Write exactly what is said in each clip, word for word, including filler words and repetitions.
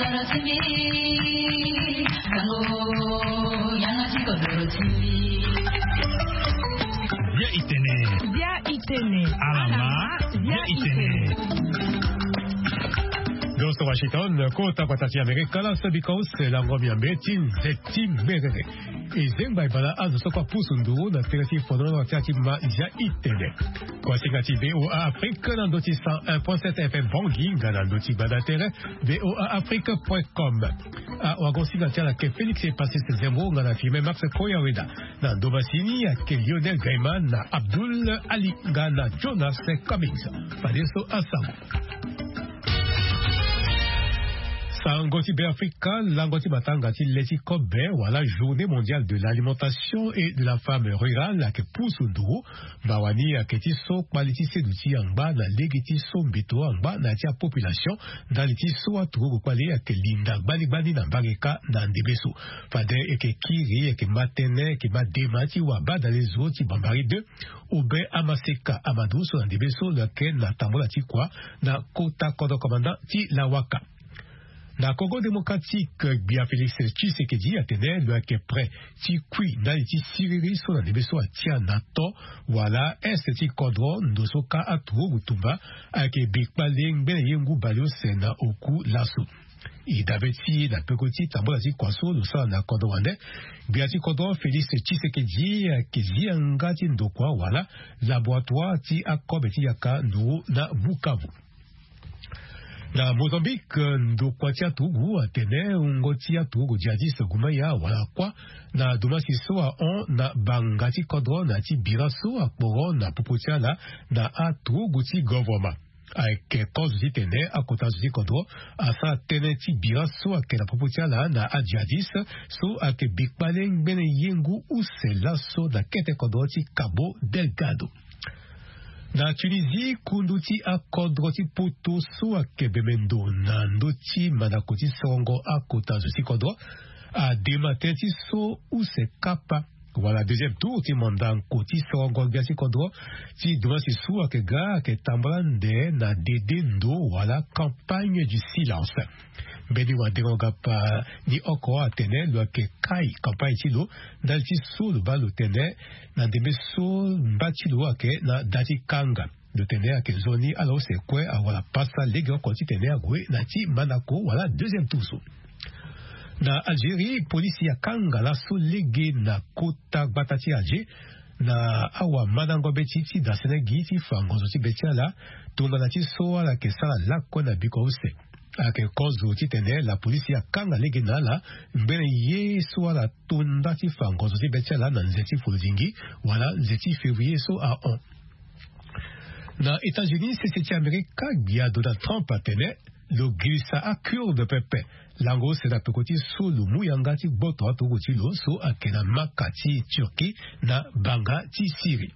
Bia itene. Bia itene. Alama. Bia itene. Gosto Washington, kota patati Amerika la sabika use lango miambe ti nzeti merere. E zengba e bala azo so kue apusu nduru na tere ti fondro na tere ti ma Bia itene. Kua singa ti V O A Afrique na ndo ti cent un point sept F M Bangui nga na ndo ti gbanda tere V O A Afrique point com. Awagosinga ti ala ayeke Félix Epasis Zembo nga na Firmin Max Koyaweda. Na ndo masini ayeke Lionel Gaiman na Abdoul Ali nga na Jonas Cummings. Fadeso asango. Sango ti Beafrika, lango ti matanga ti le ti kobe wala Journée mondiale de l'alimentation et de la femme rurale ayeke pusu nduru. Mawa ni ayeke ti so kpali ti seduti angba na lege ti so mbeto angba na ya ti apopulation. Ndali ti so aturugu kpali ayeke linda gbani gbani na mbage kâ na ndembe so. Fade e yeke kiri, e yeke ma tënë, e yeke ma dema ti wabadale zo ti Bambari deux, Aubin Amaseka Amadou so na ndembe so lo yeke na tambula ti kua na kota kodro commandant ti Lawaka. Na Congo démocratique, gbia Félix Tshisekedi atene lo yeke prêt ti kui ndali ti siriri so na ndembe so atia na to wala est ti kodro ndo so kâ aturugu tumba ayeke bikpale ngbene ye ngu baleuse na oku laso. E dabe ti e na peko ti tambula ti kua so lo sara na kodro wande, gbia ti kodro Félix Tshisekedi ayeke zi yanga ti ndokua wala laboratoire ti akobe ti yaka nduru na Bukavu. Na Mozambique, ndokua ti aturugu atene wungo ti aturugu djihadiste Gumaya wala kua na dumasi so ahon na banga ti kodro na ya ti bira so akporo na popo ti ala na aturugu ti govoroma. Ayeke kozo titene akota zo ti kodro asara tënë ti bira so ayeke na popo ti ala na adjihadiste so ayeke bikpale ngbene ye ngu use laso na kete kodro ti Cabo Delgado. Na Tunisie, kundu ti akodro ti poto so ayeke bemendo na ndö ti mandako ti sorongo akota zo ti kodro adema tënë ti so use kapa wala deuxième tour ti mandango ti sorongo gbia ti kodro ti dumasi so ayeke ga ayeke tambula ande na dede ndo wala campagne du silence. Mbeni wadengo gapa ni oko atene lo yeke kai campagne ti lo ndali ti so lo baa lo tene na ndembe so mba ti lo ayeke na da ti kanga. Lo tene ayeke nzoni ala use kue awara pasa lege oko titene ague na ti mandako wala deuxième tour so. Na Algérie, polisi akanga laso lege na kota gbata ti Alger na awamandango be ti ti dasene gi ti fa ngonzo ti be ti ala tongana ti so ala yeke sara lakue na biko use. Ayeke kozo titene lapolisi akanga lege na ala ngbene ye so ala to nda ti fa ngonzo ti be ti ala na nze ti folodingi wala nze ti février so ahon. Na États-Unis, sese ti Amerika, gbia Donald Trump atene lo girisa akurde pepe lango use na peko ti so lo mu yanga ti gboto aturugu ti lo so ayeke na maka ti Turquie na banga ti Syrie.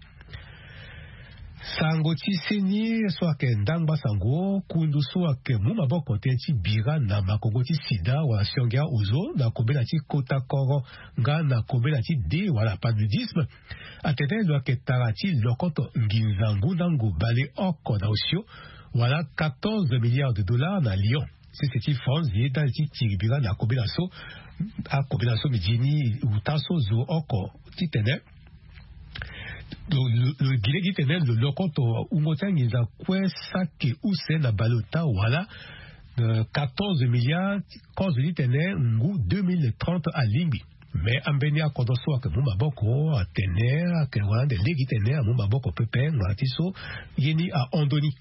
Sango ti seni so ayeke ndangba sango, kundu so ayeke mu maboko tënë ti bira na makongo ti sida wala siongia ozo na kobela ti kota koro nga na kobela ti de wala paludisme, atene lo yeke tara ti lokoto nginza ngu na ngu baleoko na osio wala quatorze milliards de dollars na Lyon, sese ti France, ye ndali ti tiri bira na kobela so. Akobela so mbi zi ni uta so zo oko titene lo, lo, lo gi lege titene lo lokoto wungo ti anginza kue saki use na baleota wala, euh, quatorze milliards, kozo titene ngu deux mille trente alingbi. Me ambeni akodro so ayeke mu maboko atene ayeke wara ande lege titene amu maboko pepe ngbanga ti so ye ni ahon ndoni.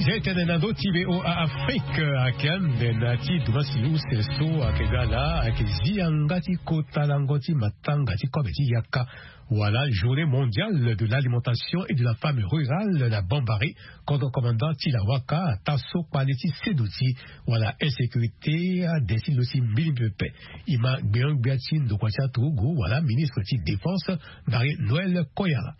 Zia e tene na ndö ti V O A Afrique, ayeke ande na ti dumasi use so ayeke ga laa ayeke zi yanga ti kota lango ti matanga ti kobe ti yaka wala Journée mondiale de l'alimentation et de la femme rurale na Bambari, kodro commandant ti Lawaka, ataa so kpale ti seduti wala insécurité ade ti lo si mbilimbili pepe. E ma gbenyo-gbia ti ndokua ti aturugu wala ministre ti défense, Marie Noëlle Koyala.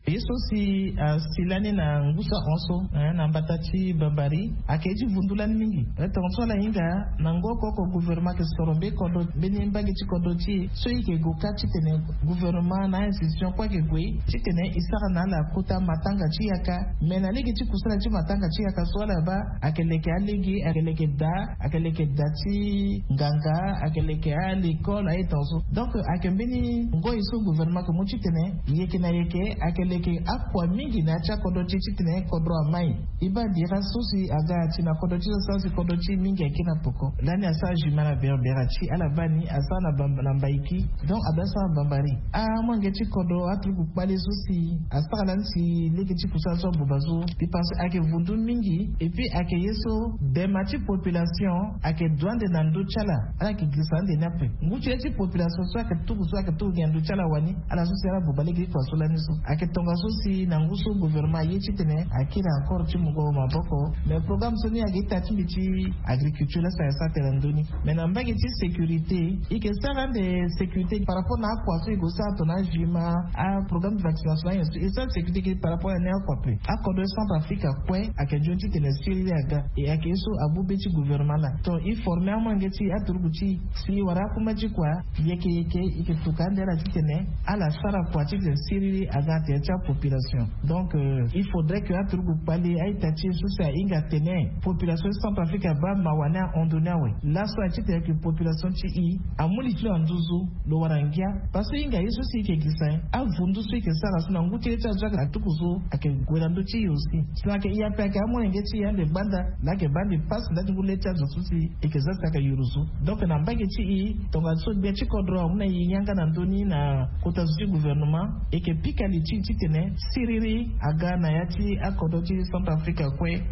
Ye so si asi lani na ngu so ahon so, eh, na mbata ti bambari, ayeke ye ti vundu lani mingi. Eh, tongaso ala hinga na ngoko oko gouvernement ayeke soro be kodro, mbeni mbage ti kodro ti e so e yeke gue ka titene gouvernement na a-institution kue ayeke gue titene e sara na ala kota matanga ti yaka. Me na lege ti kusala ti matanga ti yaka so ala baa, ayeke leke alege, ayeke leke da, ayeke leke da ti nganga, ayeke leke alekole aye tongaso. Donc ayeke mbeni ngoi so gouvernement ayeke mu titene yeke na yeke ayeke leke akua mingi na ya ti akodro ti e titene kodro amai. E baa dira so si aga ti na kodro ti e so si kodro ti e mingi ayeke na poko. Lani asara jugement na berbera ti ala baa ni asara na bamba na mbaiki. Donc abaa asara na bambari. Amolenge ti kodro aturuku kpale so si asara lani si lege ti kusala so abuba so. Mbi pense ayeke vundu mingi. Et puis ayeke ye so dema ti population ayeke du ande na ndö ti ala. Ala yeke girisa ande ni ape. Ngu ti ye ti population so ayeke tuku so ayeke tuku gi na ndö ti ala wani. Ala so si ala buba lege ti kua so lani so ayeke tongaso si na ngu so gouvernement aye titene akiri encore ti mungo maboko. Mais programme so ni ayeke ita ti mbi ti agriculture laa si ayeke sara tene na ndö ni. Mais na mbage ti sécurité, e yeke sara ande sécurité par rapport na akua so e gue sara tongana ajugement, aprogramme de vaccination na nyen so e sara sécurité ge par rapport na ni akua ape. Akodro ti Centrafrique akue ayeke nzoni titene siriri aga. E ayeke ye so abu be ti gouvernement laa. Donc e forme amolenge ti e, aturuku ti e, si e wara akuma ti kua yeke yeke e yeke tuka ande ala titene ala sara kua titene siriri aga na tere ti apopulation. Donc euh, il faudrait que aturuku kpale a-ita ti e so si ahinga atene population ti Centrafrique abaa mawa ni ahon ndo ni awe. Laso aye titene ayeke population ti e amu li ti lo na nduzu, lo wara ngia. Parce que e hinga ye so si e yeke girisa nyen? Avundu so e yeke sara so na ngu ti ye ti azo ayeke na tuku so ayeke gue na ndö ti e aussi. Si na ayeke e ape ayeke amolenge ti e ande gbanda laa ayeke baa mbi pasi ndali ti ngu le ti azo so si e yeke za si ayeke yuru so. Donc na mbage ti e tongaso gbia ti kodro amu na e yanga na ndö ni na kota zo ti gouvernement, e yeke pika li ti e titene siriri aga na ya ti akodro ti Centrafrique kue.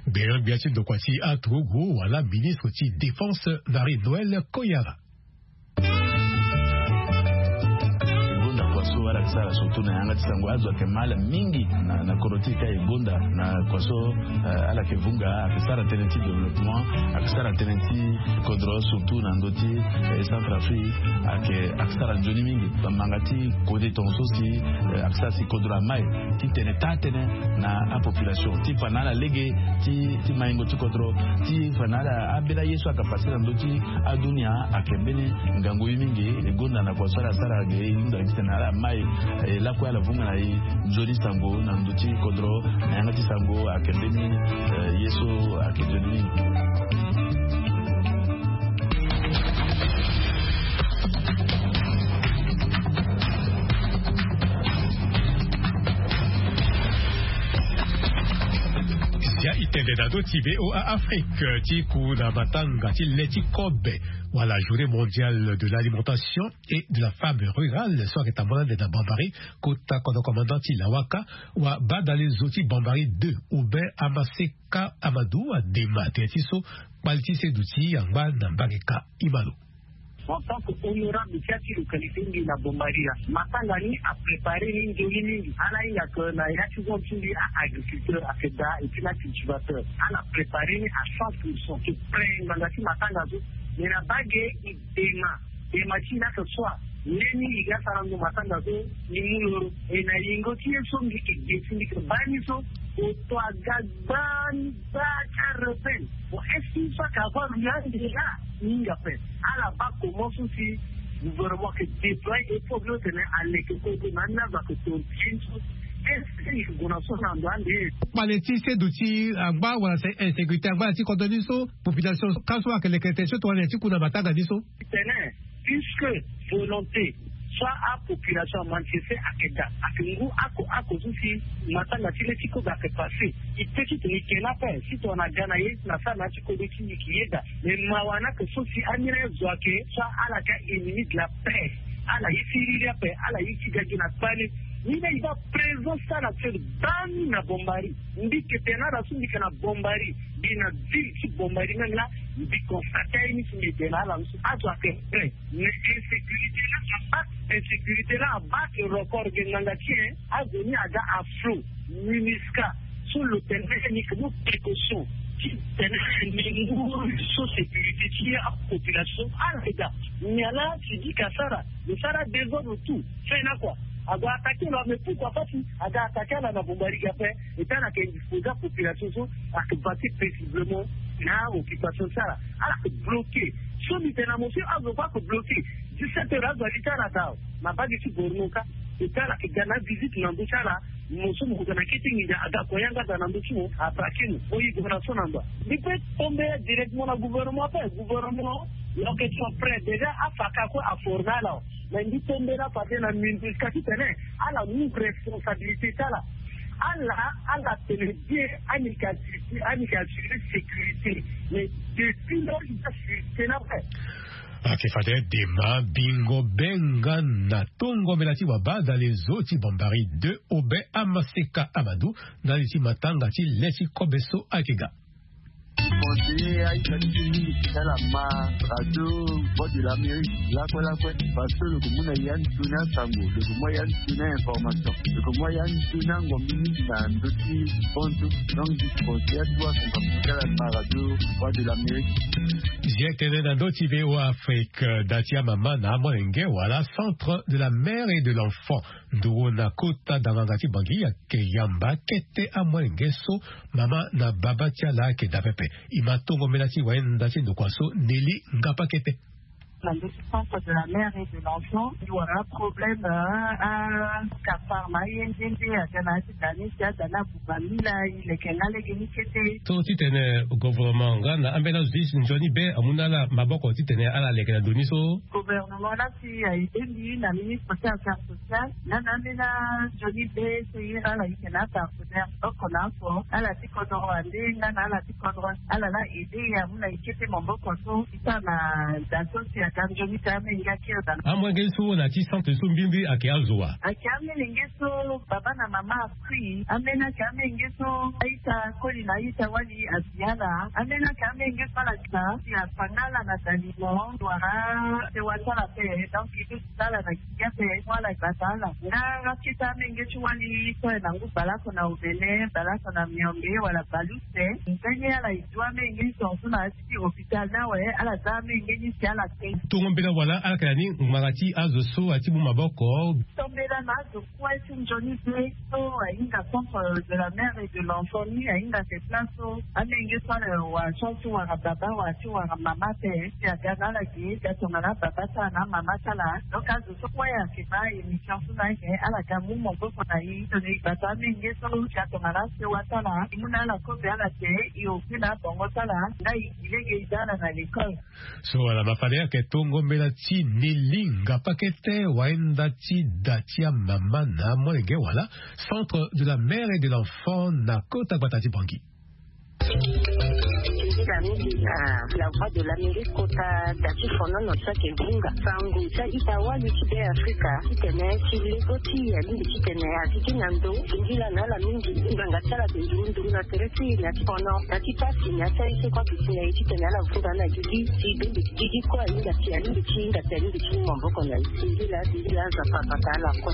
Gbia gbia ti ndokua ti aturugu wala ministre ti défense Marie Noël Koyara. E gonda kua so ala yeke sara surtout na yanga ti sango, azo ayeke ma ala mingi na, na kodro ti e ka e gonda na kua so, eh, ala yeke vunga, ayeke sara tënë ti développement, ayeke sara tënë ti kodro surtout na ndö ti, eh, Centrafrique, ayeke, ayeke sara nzoni mingi. Bamanga ti kode tongaso si, eh, ayeke sara si kodro amai titene taa tënë na apopulation ti fa na ala lege ti, ti maingo ti kodro, ti fa na ala ambeni aye so ayeke pase na ndö ti adunia ayeke mbeni ngangu ye mingi. E gonda na kua so ala sara ge e hunda titene ala mai, eh, lakue ala vunga na e nzoni sango na ndö ti kodro na yanga ti sango ayeke mbeni, eh, ye so ayeke nzoni mingi. Zia e tende na ndö ti V O A Afrique ti ku na matanga ti le ti kobe wala journée mondiale de l'alimentation et de la femme rurale so ayeke tambula ande na Bambari, kota kodro commandant ti Lawaka, wa badale zo ti Bambari deux, Aubin Amaseka Amadou adema tene ti so kpali ti seduti angba na mbage ka. Imalo. En tant que honorable ti ya ti localité ngi na Bambari laa, matanga ni apréparé ni nzoni mingi. Ala hinga que na ya ti zone ti mbi a-agriculteur ayeke daa et puis na cultivateur. Ala préparé ni à cent pour cent, ayeke prêt ngbanga ti matanga so. Mais na bage e dema, dema ti e ni ayeke soit leni e ga sara ndo matanga so e mu loro. E na yingo ti ye so mbi yeke ge si mbi yeke baa ni so, oto aga gbaa ni gbaa ti arebelle. Bon, est-ce que so ayeke avoir lo yande laa? Mingi ape. Ala baa comment so si gouvernement ayeke déployer effort ti lo tene aleke kue kue na ni azo ayeke tonga ti ye ni so. Est-ce que e yeke gue na so na ndo ande? Kpale ti seduti angba wala insécurité angba na ti kodro ni so, population ka so ayeke leke tene so tongana nyen ti ku na matanga ni so? Titene, puisque volonté so apopulation amanifeste ayeke daa, ayeke ngu oko oko so si matanga ti le ti kobe ayeke passé. E peut titene e yeke na ape si tongana aga na ye na sara na ya ti kodro ti e e yeke yeda. Mais mawa ni ayeke so si ambeni azo ayeke so ala yeke a-ennemi de la paix. Ala ye ti riri ape, ala ye ti ga gi na kpale. Ni laa e baa présence ti ala actuelle baa ni na Bambari. Mbi yeke tene na ala so mbi yeke na Bambari, mbi na ville ti Bambari même laa, mbi constate aye ni si mbi yeke na ala so azo ayeke prêt. Mais insécurité laa abaa, insécurité laa abaa ayeke record ge ngbanga ti e. Azo ni aga à flot. MINUSCA so lo tene ni yeke mu précaution ti tene ni ngu so sécurité ti apopulation ala yeke daa. Nyen laa si di ka sara, lo sara désordre tout. Fin na kua. Ague attaquer lo mais pourquoi pas si ague attaquer ala na bombardier après? Et ala ke indisposer apopulation so ake vaquer paisiblement na occupation ti ala. Ala ke bloquer so mbi tene na mo so azo kue ake bloquer. Dix-sept heures azo ali ti ala daa na bage ti gouvernement ka. Et ala ke ga na avisite na ndö ti ala. Mo so mo ke ga na kete nginza aga ako yanga daa na ndö ti mo abraquer mo. Mo yi gouvernement so na ndo. Mbi pe tomber directement na gouvernement pe gouvernement. Donc ils sont prêts déjà afa ka kue aformer ala. Mais mbi tombela fade na minduska titene ala mu responsabilité ti ala. Ala ala tene bien ani ka assurer sécurité. Mais depuis lors il a sécurité na pe. Ake fade dema bingo benga na tongo mela ti wabada les eaux ti bombari deux obe amaseka amadu. Na li ti matanga ti le ti kobe so ake ga. Conseiller aita ti ti mingi ti ala ma radio voix de l'amérique lakue lakue. Parce que lo ke mu na ya ni tuni asango lo ke mu ya ni tuni ainformation lo ke mu ya ni tuni angombi mingi na ndö ti bonzo. Donc disi conseiller atu asango ti ala ma radio voix de l'amérique. Zia tene na ndö ti voa afrique da ti amama na amolenge wala centre de la mère et de l'enfant. Nduru na kota danganga ti bangi ake yamba kete amolenge so mama na baba ti ala ake daa pepe. E ma tongo mbela ti wayenda ti ndokua so neli ngapa kete. Na ndö ti centre de la mère et de l'enfant e wara problème akapar na aye nzende aga na ya ti da ni si ada ni abuba mila e leke nga lege ni kete. So titene gouvernement nga na ambeni azo ti nzoni be amu na ala maboko titene ala leke na ndo ni so. Gouvernement laa si aye be mbi na ministre ti affaire sociale nga na ambeni anzoni be so e iri ala eke na apartenaire oko na oko ala ti kodro ande nga na ala ti kodro ala laa aide e amu na e kete maboko so e sara na da so si aga nzoni ti amenge akiri daa. Amolenge so na ti centre so mbimbiri ake azo wa? Ake amolenge so baba na mama akui ambeni ake amolenge so a-ita koli na a-ita wali asi ala. Ambeni ake amolenge so ala ga si akpanga ala na dalimo wala sewa ti ala pe. Donc e pe ti sara ala na giga pe mo ala gbata ala nga akete amolenge ti wali so aye na ngu baleoko na omene baleoko na miombe wala baluse. Mbeni ala e du amolenge ni tongaso na ya ti hôpital ni awe ala za amolenge ni si ala te. Tongo mbela wala ala yeke na ni ngbanga ti azo so ati mu maboko. Tombela na azo kue ti nzoni be so ahinga centre de la mère et de l'enfant ni ahinga se place so amenge so ala wa chance ti wara baba wala ti wara mama ape si aga na ala ge ga tongana ababa ti ala na amama ti ala. Donc azo so kue ayeke baa émission so na ayeke ala ga mu maboko na e tongana e gbata amenge so ga tongana asewa ti ala e mu na ala kobe ala te e oku na abongo ti ala nga e gi lege e da ala na l'école. So wala ma fade ayeke tongo mbela ti neli ngapa kete wayenda ti da ti amama na amolenge wala centre de la mère et de l'enfant na kota gbata ti bangi. Nzila mingi na la voix de l'amérique kota da ti fonono ti ake bunga sango ti a-ita wali ti be afrika titene ti lego ti alingbi titene ati ti na ndo. Nzila na ala mingi ngbanga ti ala te nduru nduru na tere ti na ti fono na ti pasi na ti aye so kue ake ti na ye titene ala vunda na gigi ti bembe ti gigi kue ahinga ti alingbi ti hinga ti alingbi ti mu maboko na ye. Singila singila aza papa ta ala kue.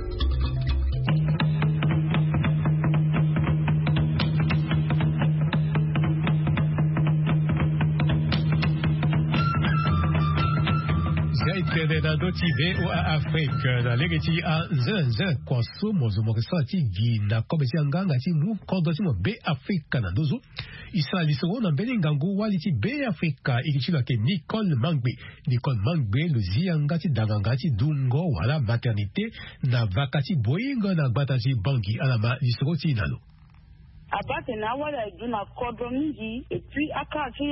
Zia e tene na ndö ti voa afrique na lege ti anzenanzena kua so mo zo mo yeke sara ti gi na kobe ti anganga ti mu kodro ti mo be afrika na nduzu. E sara lisoro na mbeni ngangu wali ti be afrika e ke ti lo ayeke nicole mangbe. Nicole mangbe lo zi yanga ti danganga ti dungo wala maternité na vaka ti boingo na gbata ti bangi ala ma lisoro ti e na lo. Abaa tene awali aye du na kodro mingi et puis akara ti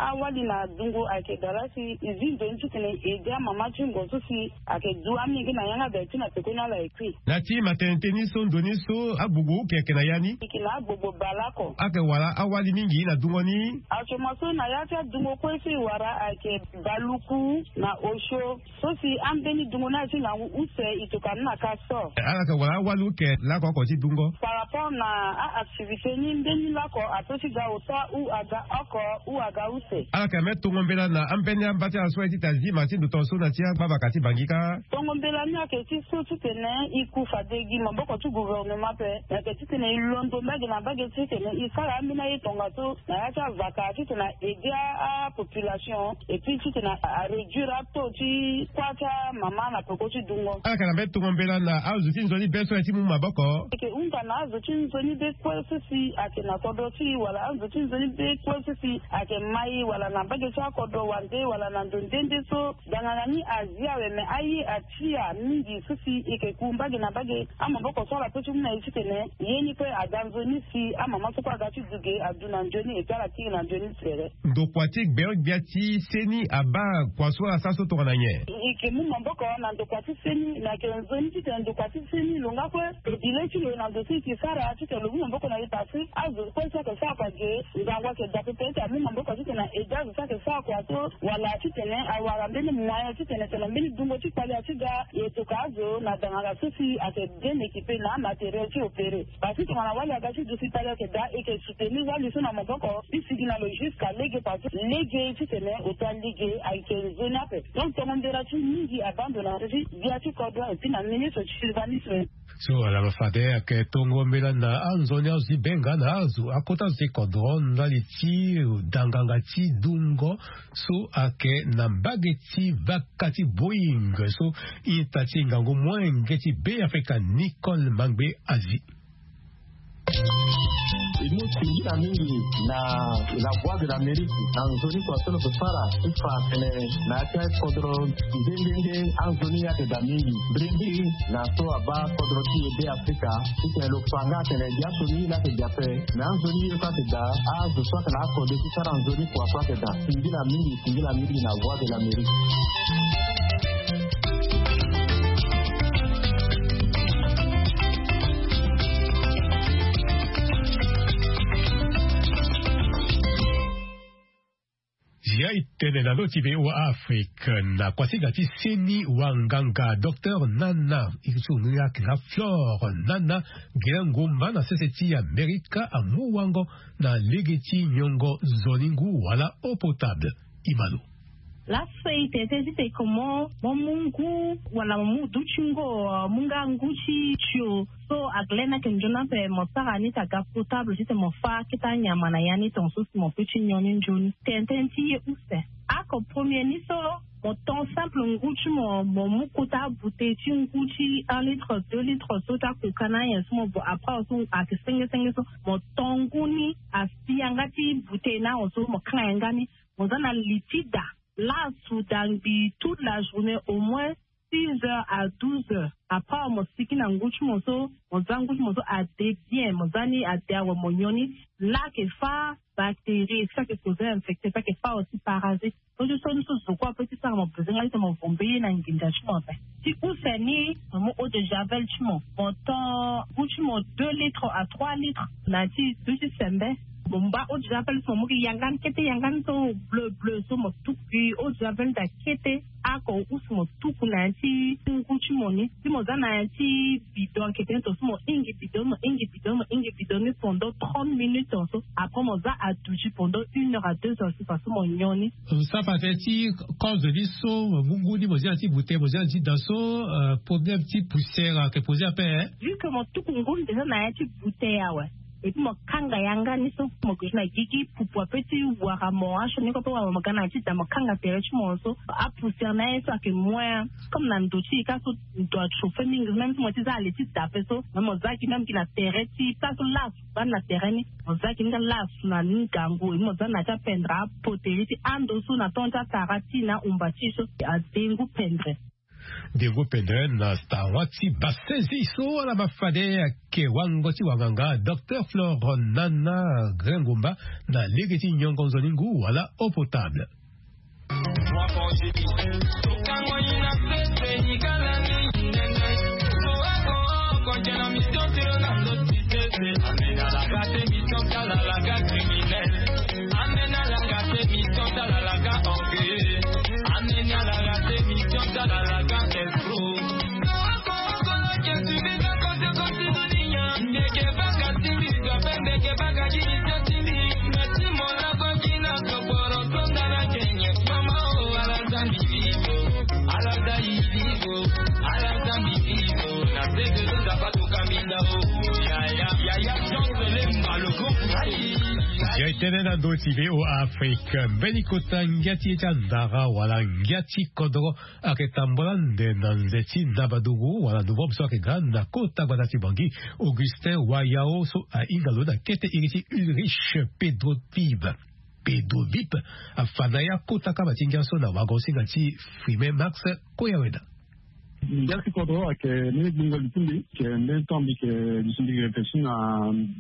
awali na dungo ayeke daa laa si e zi nzoni titene e aide amama ti ngo so si ayeke du amenge na yanga daa ti na pekoni ala ye kui. Na ti maternité ni so ndo ni so agbogbo uke ayeke na ya ni? Eke na agbogbo baleoko. Ayeke wara awali mingi na dungo ni? Asoma so na ya ti adungo kue so e wara ayeke baluku na osio. So si ambeni dungo ni aye ti ngangu use e tokua ni na ka so. Ala yeke wara awali uke laoko oko ti dungo? Par rapport na a-activité Seni mbeni lako ato ti ga ota u aga oko u aga use. Ala yeke na mbeni tongo mbela na ambeni amba ti ala so aye ti tazima ti ndo tongaso na ti agbavaka ti bangi kâ. Tongo mbela ni ayeke ti so titene e ku fade gi maboko ti gouvernement ape, me ayeke titene e londo mbage na mbage titene e sara ambeni aye tongaso na ya ti avaka titene e aide apopulation, et puis titene aréduire ato ti kuâ ti amama na peko ti dungo. Ala yeke na mbeni tongo mbela na azo ti nzoni be so aye ti mu maboko. Eke hunda na azo ti nzoni be kue so si ayeke na kodro ti e wala azo ti nzoni be kue so si ayeke ma e wala na mbage ti akodro wande wala na ndo nde nde so danganga ni azi awe, me aye atia mingi so si eke ku mbage na mbage amaboko so ala pe ti mu na e titene ye ni kue aga nzoni si amama so kue aga ti du ge adu na nzoni et puis ala kiri na nzoni sere. Ndokua ti gbeogbia ti seni abaa kua so asara so tongana nyen? E yeke mu maboko na ndokua ti seni, me ayeke nzoni titene ndokua ti seni lo nga kue lo bi le ti lo na ndo so e yeke sara titene lo mu maboko na e. Parce que azo kue so ayeke sara kua ge, ngangu ayeke daa pepe ti amu maboko titene aide azo so ayeke sara kua so, wala titene awara mbeni moyen titene tene mbeni dungo ti kpale ati ga e toka azo na danganga so si ayeke bien équipé na amatériel ti opéré. Parce que tongana wali aga ti duti kpale ayeke daa, e yeke soutenir wali so na maboko ti sigi na lo jusqu'à lege, parce que lege titene ota lege ayeke nzoni ape. Donc tongo mbela ti mingi abaa ndo na ndö ti gbia ti kodro et puis na ministre ti urbanisme. So ala ma fade ayeke tongo mbela na anzoni azo ti be nga na azo akota azo ti kodro ndali ti danganga ti dungo so ayeke na mbage ti vaka ti Boeing so ita ti ngangu molenge ti Be Afrika Nicole Mangbe azi. E mu singila mingi na la Voix de l'Amérique na nzoni kua so lo yeke sara ti fa atene na ya ti akodro nde nde nde anzoni ayeke daa mingi. Mbirimbi na so abaa kodro ti e Be Afrika titene lo fa nga atene biaso ni la yeke daa ape. Me anzoni ye so ayeke daa, azo so ayeke na akode ti sara nzoni kua so ayeke daa. Singila mingi, singila mingi na Voix de l'Amérique. Zia e tene na lo ti V O A Afrique na kuasinga ti seni wanganga docteur Nana, e so ni ayeke nga Flore Nana, gere ngomba na sese ti Amerika, amu wango na lege ti nyongo nzoni ngu wala eau potable. Imano. Laso e tene tënë ti tene mo, mo mu ngu wala mo mu dutingo, mo mu nga ngu ti tio so ayeke le ni ayeke nzoni ape, mo sara ni ti aga potable titene mo fâ akete anyama na ya ni tongaso si mo peut ti nyon ni nzoni. Tene tënë ti ye use. Ako premier ni so, mo ton simple ngu ti mo, mo mu kota abouteille ti ngu ti un litre, deux litres so ti akoka na anyen so mo bo après so ayeke senge senge so, mo ton ngu ni asi yanga ti bouteille ni awe so mo kanga yanga ni. Mo za na li ti da lasu da ngbii toute la journée, au moins six heures à douze heures. Après mo siki na ngu ti mo so, mo za ngu ti mo so ade bien, mo za ni ade awe mo nyon ni. La ayeke fâ bactérie, so ayeke causer infecté, so ayeke fâ aussi parasite. So ti so ni so zo kue apeut ti sara mo besoin nga ti tene mo vombe ye na nginza ti mo ape. Ti use ni, mo mu eau de javel ti mo, mo ton ngu ti mo deux litres à trois litres na ya ti duti sembe. Mo mba eau de javel so mo mu gi yanga ni kete, yanga ni so bleu bleu so mo tuku gi eau de javel daa kete. Ako use mo tuku na ya ti ngu ti mo ni. Si mo za na ya ti bidon ayeke tene tongaso mo hingi bidon, mo hingi bidon, mo hingi bidon ni pendant trente minutes tongaso. Après mo za aduti pendant une heure à deux heures so, tongaso mo nyon ni. Mo sara fa tënë ti cause ni so, mo mu ngu ni mo zi na ya ti bouteille, mo zi na ya ti da so, euh, problème ti poussière ayeke poser ape, hein? Vu que mo tuku ngu ni déjà na ya ti bouteille awe. Et puis mo kanga yanga ni so, mo gue na gigi pupu ape ti wara mo, asioni kue ape wara mo, mo ga na ya ti da mo kanga tere ti mo so, apoussière na ye so ayeke moins. Comme na ndo ti e kâ so ndo achauffer mingi, même si mo ti za ale ti da ape so, même mo za gi même gi na tere ti place so lasu bani na tere ni, mo za gi ni kâ lasu na ni ngangu, et puis mo za na ya ti apendre apoterie ti ando so na temps ti atara ti na ahumba ti e so, adengo pendre. Dengo pendre na stawa ti basezi so ala ma fade ayeke wango ti wanganga docteur Flore Nana Grengomba na lege ti nyongo nzoni ngu wala eau potable. Ya e tene na ndo ti V O A Afrique, mbeni kota ngia ti ye ti andara wala ngia ti kodro ayeke tambula ande na nze ti ndabaduru wala novembre so ayeke ga na kota gbata ti Bangui. Augustin Wayao so ahinga lo na kete iri ti Ulrich Pedro Vive. Pedro Vive afa na ya kota kama ti ngia so na wagosinga ti Fuime Max Koyaweda. Ngia ti kodro ayeke mbeni gbingo li ti mbi, ayeke mbeni temps mbi yeke duti mbi réfléchir na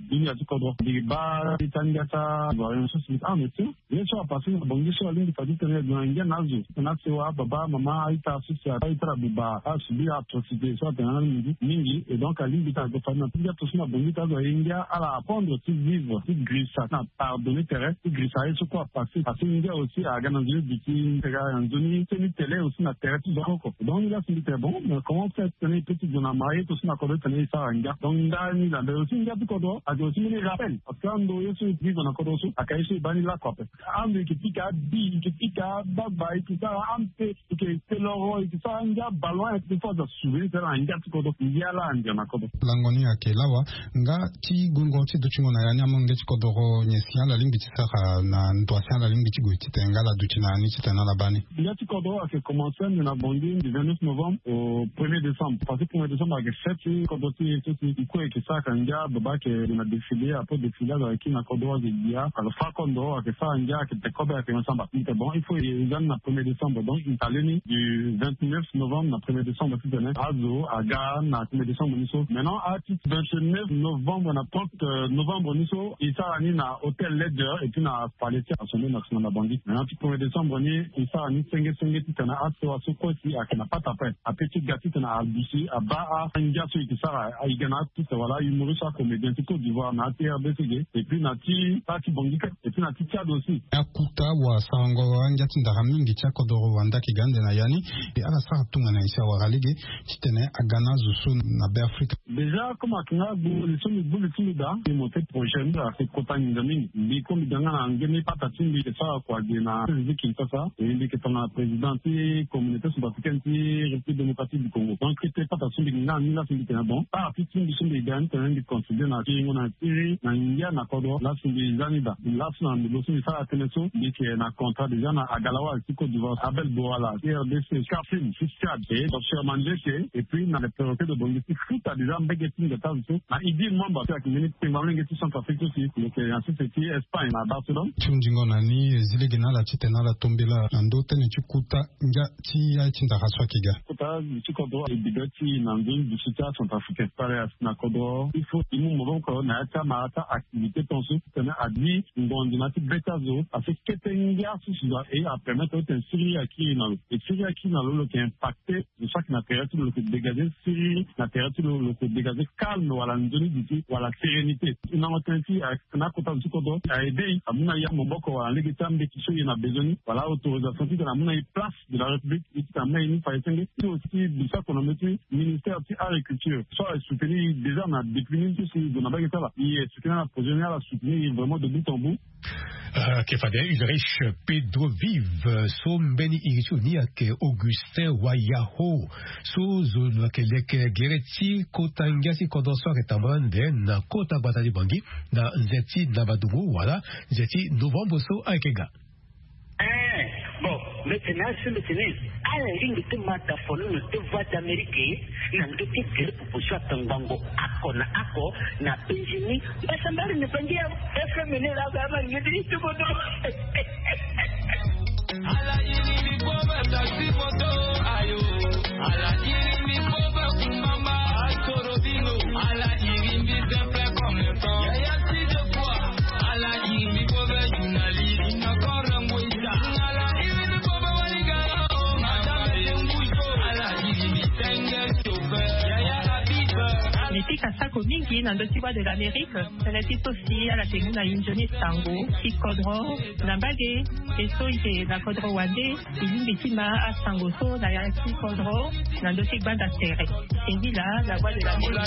dunia ti kodro. Mbi baa ti angia ti avion so si ah mais tiens, ye so apassé na Bangui so alingbi fa titene e gue na ngia na azo, titene asewa ababa mama a-ita so si a-ita ala buba, asubir atrocité so atene na mingi mingi. Et donc alingbi titene ague fa na ngia ti azo na Bangui ti azo aye ngia ala apprendre ti vivre, ti girisa na pardonner tere, ti girisa aye so kue apassé. Parce que ngia aussi aga na nzoni duti, aga na nzoni seni tele aussi na tere ti zo oko. Donc ngia si mbi tene bon, mais comment faire titene e peut ti gue na marié to so na kodro titene e sara ngia. Donc ndani la mais aussi ngia ti kodro ayeke aussi mbeni rappel, parce que ando ye so e vivre na kodro so ayeke ye so e baa ni lakue ape. Ando e yeke pika abi, e yeke pika abagba, e yeke sara ampe, e yeke te loro, e yeke sara ngia ballon, e yeke fo azo asouvenir ti ala na ngia ti kodro. Ngia laa andia na kodro. Lango ni ayeke lawa. Nga ti gungo ti dutingo na ya ni amolenge ti kodoro nyen si ala lingbi ti sara na ndo asi ala lingbi ti gue titene nga ala duti na ya ni titene ala baa ni? Ngia ti kodoro ayeke commencé ande na Bangui du vingt-neuf novembre au premier décembre. Parce que premier décembre ayeke fête ti kodoro ti e so si e kue e yeke sara ka ngia baba ayeke na défilé, après défilé azo ayeke kiri na kodoro ayeke gbia, alors fa kodoro ayeke sara ngia ayeke te kobe ayeke me samba. Mbi tene bon il faut e za ni na premier décembre, donc mbi tene le ni du vingt-neuf novembre na premier décembre titene azo aga na premier décembre ni so. Maintenant a ti vingt-neuf novembre na trente novembre ni so e sara ni na hôtel Ledger et puis na palais ti Assemblée nationale na Bangui. Maintenant ti premier décembre ni e sara ni senge senge titene asewa so kue si ayeke na pata ape ape ti ga titene aduti abaa angia so e yeke sara, e ga na artiste wala humoriste, acomédien ti Côte d'Ivoire na ya ti R D C ge, et puis na ti baa ti Bangui kâ, et puis na ti Tchad aussi. Akuta wasarango angia ti ndara mingi ti akodoro wande ayeke ga ande na ya ni. E ala sara tongana nyen si awara lege titene aga na azo so na Be Afrika? Déjà comme ayeke nga gbu li so mbi gbu li ti mbi daa, mbi monté projet mbi ayeke kota nginza mingi. Mbi comme mbi ga nga na nge ni pata ti mbi yeke sara kua ge na président Kinshasa, e mbi yeke tongana président ti communauté centrafricaine ti République démocratique du Congo. Donc kete pata so mbi yeke nga na ni laa so mbi tene bon, artiste ti mbi so mbi ga ni tene mbi contribué na kiringo na siriri na ngia na kodro. Laa so mbi za ni daa, laa so na ndembo so mbi sara tënë so mbi yeke na contrat déjà na Agalawa ti Côte d'Ivoire, Abel Bowala ti R D C, Scarfin ti Tchad, et Docteur Mandjeke, et puis na le prérequet de Bangui ti futa déjà mbege ti nda ti azo so na Idi Mwamba so ayeke mbeni kpengba molenge ti Centrafrique so si lo yeke na sese ti Espagne na Barcelone. Ti hunzingo na ni, e zi lege na ala titene ala tombela na ndö tënë ti kuta ngia ti ya ti ndara so ayeke ga. Kota ti kodro e bibe ti na nzoni duti ti acentrafricain. Fade asi na kodro il faut e mu maboko na ya ti amara ti activité tongaso titene a zi ngonzi na ya ti be ti azo, parce que kete ngia so si doit e apermettre titene siriri akiri na lo. E siriri akiri na lo, lo yeke impacté. Lo saki na tere ti lo, lo yeke dégagé siriri na tere ti lo, lo yeke dégagé calme wala nzoni duti wala sérénité. E nango tënë ti ayeke na akota zo ti kodro, a aidé e, amu na e amaboko wala lege ti ambeti so e na besoin ni wala autorisation titene amu na e place de la République, e titene amu na e ni fa e senge. Ti aussi bisakono mbeti ministère ti agriculture so asoutenir e déjà na depuis ni so si e gue na mbage ti ala, e soutenir na projet ni, ala soutenir e vraiment de bout en bout. Ayeke fade Ulrich Pedro Vive so mbeni iri ti lo ni ayeke Augustin Wayaho. So zo lo yeke leke gere ti kota ngia ti kodro so ayeke tambula ande na kota gbata ti Bangui na nze ti ndabaduru wala nze ti novembre so ayeke ga. Eh, bon, mbi tene asi mbi tene ala lingbi ti ma da fo ni na ti Voix d'Amérique na ndö ti gere popo so atongbango ako na ako na Benjini. Mbasambari ni bangi ya F M ni la ga ma ngidi ti bodo. Ala yiri ni bobo, taxi moto, ayo. Ala yiri ni bobo, kumbamba, asoro bino. Ala yiri ni simple comme le temps. Yaya ti de quoi? Ala yiri ni bobo, journaliste. Ina korango ita. Ala yiri ni bobo, waliga. Madame Dembuzo. Ala yiri ni tenge chauffeur. Yaya Habib. Ni pika sako mingi na ndö ti Voix de l'Amérique. Tënë ti so si ala yeke mu na e nzoni sango ti kodro na mbage. E so e yeke na kodro wande, e lingbi ti ma asango so na ya ti kodro na ndö ti gbanda tere. Singila, la Voix de l'Amérique.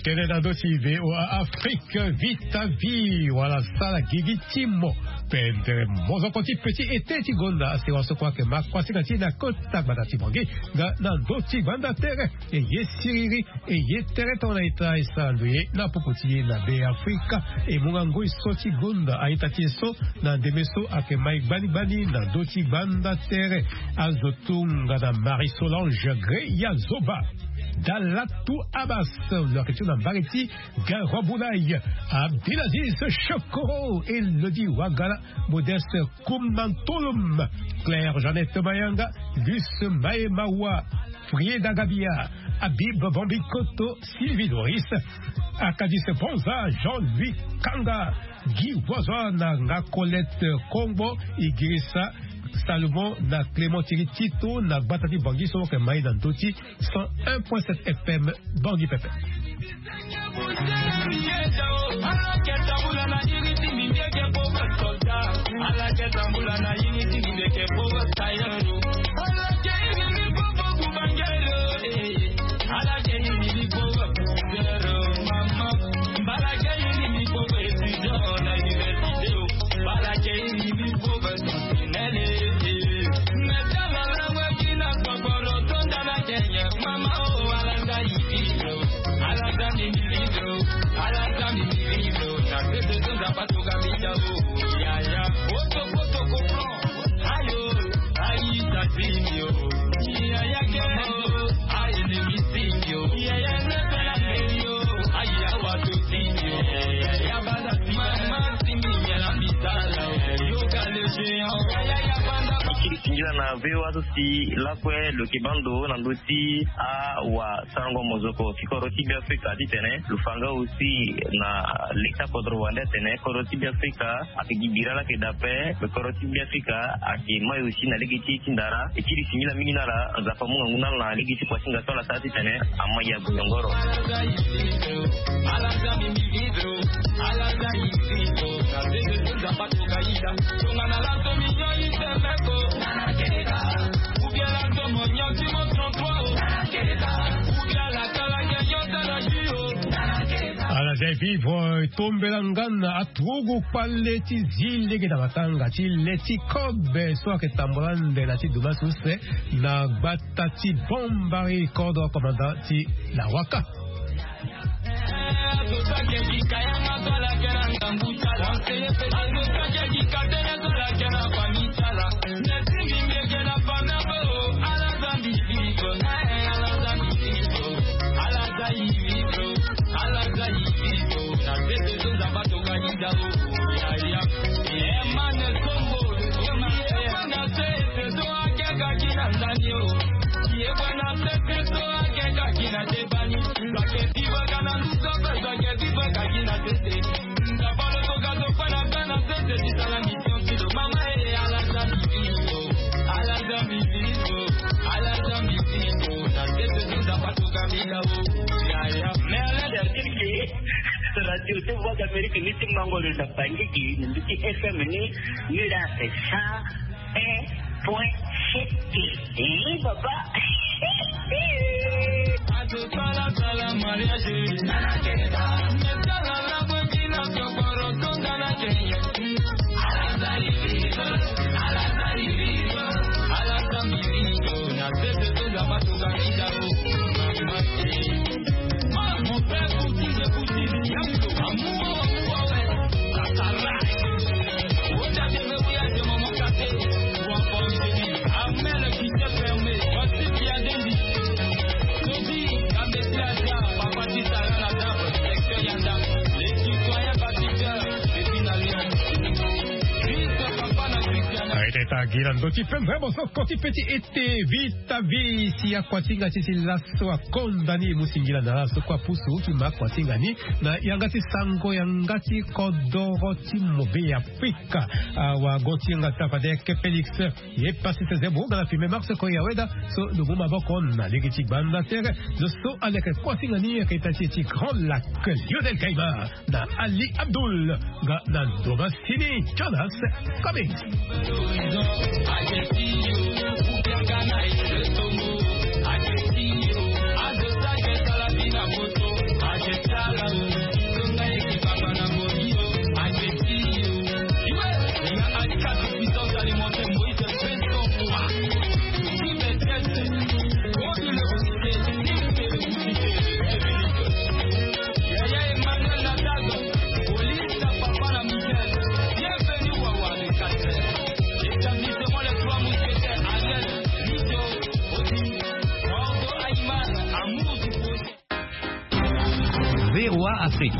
Tene na ndö ti VOA Afrique, Vita Vie wala sala gigi ti mo. Pendere mozoko ti petit été ti gonda asi waso kua ayeke ma kuasinga ti e na kota gbata ti Bangui. Nga na ndö ti gbanda tere, e ye siriri, e ye tere tongana ita e sara ndo ye na popo ti e na Be Afrika. E mu nga ngoi so ti gonda a-ita ti e so na ndembe so ayeke mai gbani gbani na ndö ti gbanda tere. Azo tongana Marie Solange Greya Zoba, Dalatu Abbas, lo ayeke ti na mbage ti Garoua Boulaye, Abdelaziz Chokoro, Elodie Wagala, Modeste Koumantolum, Claire Jeannette Mayanga, Luce Maemawa, Frieda Gabia, Habib Bambikoto, Sylvie Doris, Akadis Ponza, Jean-Louis Kanga, Guy Voisin na nga Colette Kongbo, Idrissa Salomon na Clément Thierry Tito na gbata ti Bangui so ayeke mai na ndö ti cent un point sept F M Bangui pepe. Singila na V O A so si lakue lo yeke bando na ndö ti awasarango mozoko ti kodro ti Beafrika titene lo fa nga aussi na leta kodro wande atene kodro ti Beafrika ayeke gi bira laa ayeke daa ape. Lo kodro ti Beafrika ayeke mai aussi na lege ti e ti ndara. E kiri singila mingi na ala. Nzapa amu ngangu na ala na lege ti kuasinga so ala sara titene amai ya guyongoro. Ala zia e vivre, e tombela nga na aturugu kpale ti zi lege na matanga ti le ti kobe so ayeke tambula ande na ti dumas use na gbata ti Bombari, kodro commandant ti Lawaka. Radio de Voix d'Amérique ni ti mango lo na Bangui gi na ndu ti F M ni, ni la cent un point sept. Eh, papa. Aye teta gi na ndö ti pembe bosoko ti pe ti ete Vita Vie si akuasinga ti ti laso akonda ni e mu singila na ala so kue apusu ti ma akuasinga ni na yanga ti sango yanga ti kodoro ti mo Be Afrika. Awago ti yanga ti fade ke Félix. Ye pasi sese mo nga na filme Max Koya Weda so lo mu maboko na lege ti gbanda tere. Lo so aleke kuasinga ni ayeke ita ti e ti Grand Lac, Lionel Gaima na Ali Abdoul nga na Thomas Sini Jonas Cummings. Afrique.